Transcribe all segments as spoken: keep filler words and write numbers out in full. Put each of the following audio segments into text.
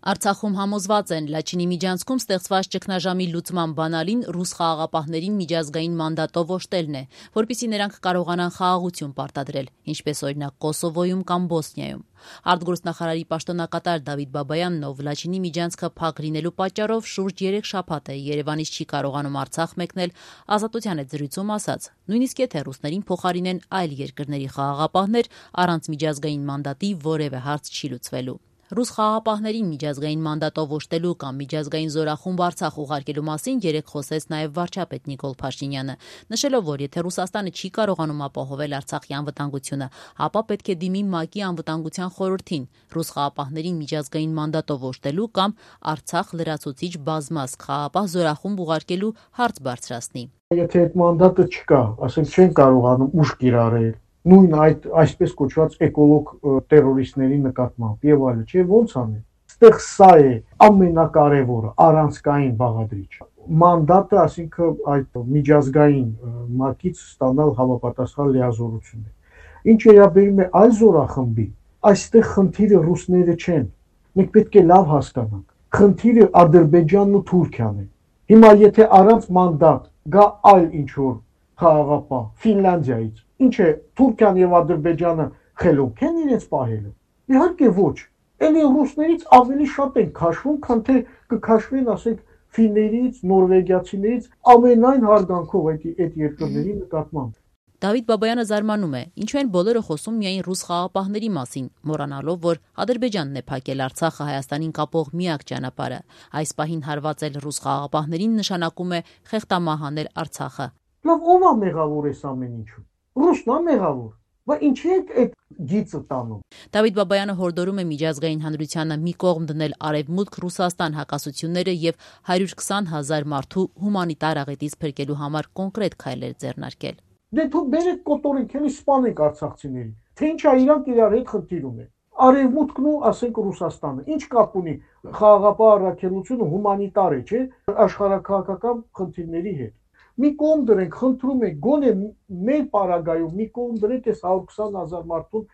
Արցախում համոզված են, Լաչինի միջանցքում ստեղծված ճգնաժամի լուծման բանալին ռուս խաղաղապահներին միջազգային մանդատով օժտելն է, որպեսզի նրանք կարողանան խաղաղություն պարտադրել, ինչպես օրինակ Կոսովոյում կամ Բոսնիայում։ Արտգործնախարարի պաշտոնակատար Դավիթ Բաբայանն, ով Լաչինի միջանցքը փակ լինելու պատճառով շուրջ երեք շաբաթ է Երևանից չի կարողանում Արցախ մեկնել, Ազատության հետ զրույցում ասաց, նույնիսկ եթե ռուսներին փոխարինեն այլ երկրների խաղաղապահներ, առանց միջազգային մանդատի որևէ հարց չի լուծվելու։ Ռուս խաղաղապահներին միջազգային մանդատով օժտելու կամ միջազգային զորախումբ Արցախ ուղարկելու մասին երեկ խոսեց նաև վարչապետ Նիկոլ Փաշինյանը, նշելով, որ եթե Ռուսաստանը չի կարողանում ապահովել Արցախի անվտանգությունը, ապա պետք է դիմի ՄԱԿ-ի անվտանգության խորհրդին ռուս խաղաղապահներին միջազգային մանդատով օժտելու կամ Արցախ լրացուցիչ բազմազգ խաղաղապահ զորախումբ ուղարկելու հարց բարձրացնի։ Եթե այդ մանդատը չկա, ասենք չեն կարողանում ուժ կիրառել նույն այդ այսպես կոչված էկոլոգ տերորիստների նկատմամբ եւ այլը, չէ՞ ոնց անեն։ Այստեղ սա է ամենակարևորը, առանցքային բաղադրիչը։ Մանդատը, այսինքն այդ միջազգային ՄԱԿ-ից ստանալ համապատասխան լիազորություն է։ Ինչ վերաբերում է այլ զորախմբի, այստեղ խնդիրը ռուսները չեն։ Մենք պետք է լավ հասկանանք։ Խնդիրը Ադրբեջանն ու Թուրքիան է։ Հիմա եթե առանց մանդատ գա այլ ինչ-որ խաղաղապահ Ֆինլանդիայից, ինչ է Թուրքիան եւ Ադրբեջանը խելոք են իրենց պահելու։ Իհարկե ոչ։ Էլի ռուսներից ավելի շատ են քաշվում, քան թե կքաշվեն, ասենք, ֆիններից, նորվեգիացիներից, ամենայն հարգանքով այդ այդ երկրների նկատմամբ։ Դավիթ Բաբայանը զարմանում է, ինչու են բոլորը խոսում միայն ռուս խաղաղապահների մասին, մոռանալով, որ Ադրբեջանն է փակել Արցախը Հայաստանին կապող միակ ճանապարհը։ Այս պահին հարվածել ռուս խաղաղապահներին նշանակում է խեղդամահանել Արցախը։ Լավ, ով է մեղավոր այս ամեն ինչու։ Ռուսն է մեղավոր։ Բայց ինչի՞ է այդ գիծը տանում։ Դավիթ Բաբայանը հորդորում է միջազգային հանրությանը մի կողմ դնել Արևմուտք-Ռուսաստան հակասությունները եւ հարյուր քսան հազար մարդու հումանիտար աղետից փրկելու համար կոնկրետ քայլեր ձեռնարկել։ Դե թող բերեք կոտորենք, էլի սպանենք արցախցիներին։ Թե ինչա իրանք իրար հետ խնդիր ունեն։ Արևմուտքն ու ասենք Ռուսաստանը ինչ կապ ունի խաղաղապահ առաքելությունը հումանիտար է, չէ՞, աշխարհակահաղական խնդիրների հետ։ Մի կողմ դրենք, խնդրում եք, գոնե մեր պարագայում մի կողմ դրեք այս հարյուր քսան հազար մարդուն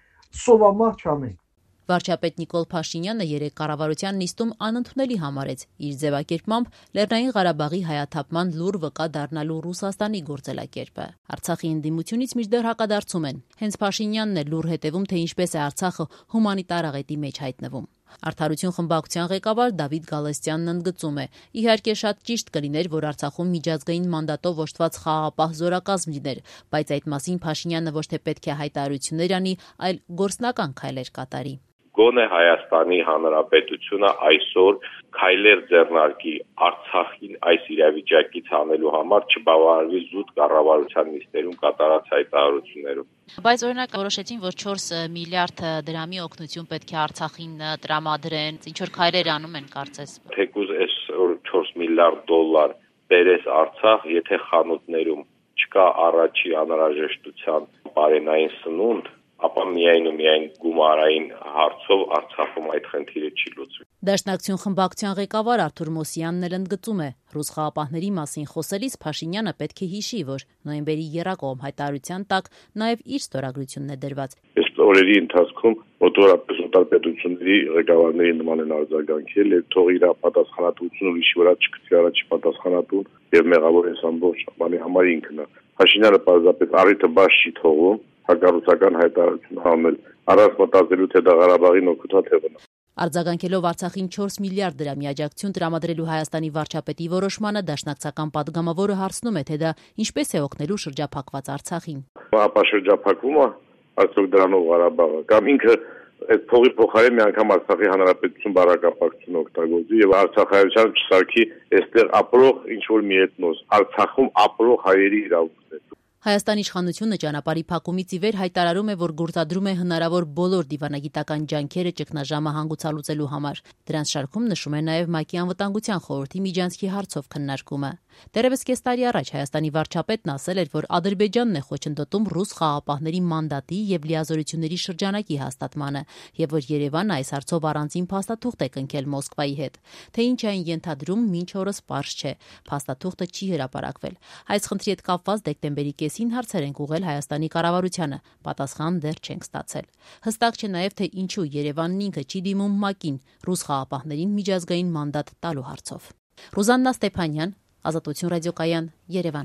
սովամահ չանենք։ Վարչապետ Նիկոլ Փաշինյանը երեկ կառավարության նիստում անընդունելի համարեց իր ձևակերպմամբ Լեռնային Ղարաբաղի հայաթափման լուր վկա դառնալու Ռուսաստանի գործելակերպը։ Արցախի ընդդիմությունից մինչդեռ հակադարձում են։ Հենց Փաշինյանն է լուր հետևում, թե ինչպես է Արցախը հումանիտար աղետի մեջ հայտնվում։ Արդարություն խմբակցության ղեկավար Դավիթ Գալստյանն ընդգծում է. իհարկե շատ ճիշտ կլիներ, որ Արցախում միջազգային մանդատով օժտված խաղաղապահ զորակազմ լիներ, բայց այդ մասին Փաշինյանը ոչ թե պետք է հայտարարություններ անի, այլ գործնական քայլեր կատարի։ Գոնե Հայաստանի Հանրապետությունը այսօր քայլեր ձեռնարկի Արցախին այս իրավիճակից հանելու համար, չբավարարվի զուտ կառավարության նիստերում կատարած հայտարարություններով։ Բայց օրինակ որոշեցին, որ չորս միլիարդ դրամի օգնություն պետք է Արցախին տրամադրեն, ինչ որ քայլեր անում են, կարծես։ Թեկուզ այս չորս միլիարդ դոլար բերես Արցախ, եթե խանութներում չկա առաջի անհրաժեշտության բարենային սնունդ, ապա միայն ու միայն գումարային հարցով Արցախում այդ խնդիրը չի լուծվի։ Դաշնակցություն խմբակցության ղեկավար Արթուր Մոսյանն էլ ընդգծում է. ռուս խաղաղապահների մասին խոսելիս Փաշինյանը պետք է հիշի, որ նոյեմբերի եռակողմ հայտարարության տակ նաև իր ստորագրությունն է դրված։ Այս օրերի ընթացքում մոտավորապես օտարպետությունների ղեկավարների նման են արձագանքել, եւ թող իր պատասխանատվությունը ուրիշի վրա չգցի առաջի պատասխանատուն եւ մեղավոր այս ամբողջ բանի համար ինքն է։ Փաշինյանը պարզապես առիթը բաց չի թողում հակառուսական հայտարարություն անել, առանց մտածելու, թե դա Ղարաբաղին օգուտաթևն է։ Արձագանքելով Արցախին չորս միլիարդ դրամի աջակցություն տրամադրելու Հայաստանի վարչապետի որոշմանը, դաշնակցական падգամավորը հարցնում է, թե դա ինչպես է օգնելու շրջափակված Արցախին։ Ապա շրջափակվում է արդյոք դրանով Ղարաբաղը, կամ ինքը այդ փողի փոխարեն մի անգամ Արցախի հանրապետություն բառակապակցություն օգտագործի եւ արցախայցյան չսարքի այստեղ ապրող ինչ որ մի էթնոս, Արցախում ապրող հայերի իրավունքներ։ Հայաստանի իշխանությունը ճանապարհի փակումից ի վեր հայտարարում է, որ գործադրում է հնարավոր բոլոր դիվանագիտական ջանքերը ճգնաժամը հանգուցալուծելու համար։ Դրանց շարքում նշում է նաև ՄԱԿ-ի անվտանգության խորհրդի միջանցքի հարցով քննարկումը։ Դեռևս կես տարի առաջ Հայաստանի վարչապետն ասել էր, որ Ադրբեջանն է խոչընդոտում ռուս խաղաղապահների մանդատի եւ լիազորությունների շրջանակի հաստատմանը, եւ որ Երևանը այս հարցով առանձին փաստաթուղթ է կնքել Մոսկվայի հետ։ Թե ինչ այն ենթադրում, մինչ օրս պարզ չէ։ Փաստաթուղթը չի հրապարակվել։ Այս խնդրի հետ կապված դեկտեմբերի կեսին մասին հարցեր ենք ուղղել Հայաստանի կառավարությանը, պատասխան դեռ չենք ստացել։ Հստակ չէ նաև, թե ինչու Երևանն ինքը չի դիմում ՄԱԿ-ին ռուս խաղապահներին միջազգային մանդատ տալու հարցով։ Ռուզաննա Ստեփանյան, Ազատություն ռադիոկայան, Երևան։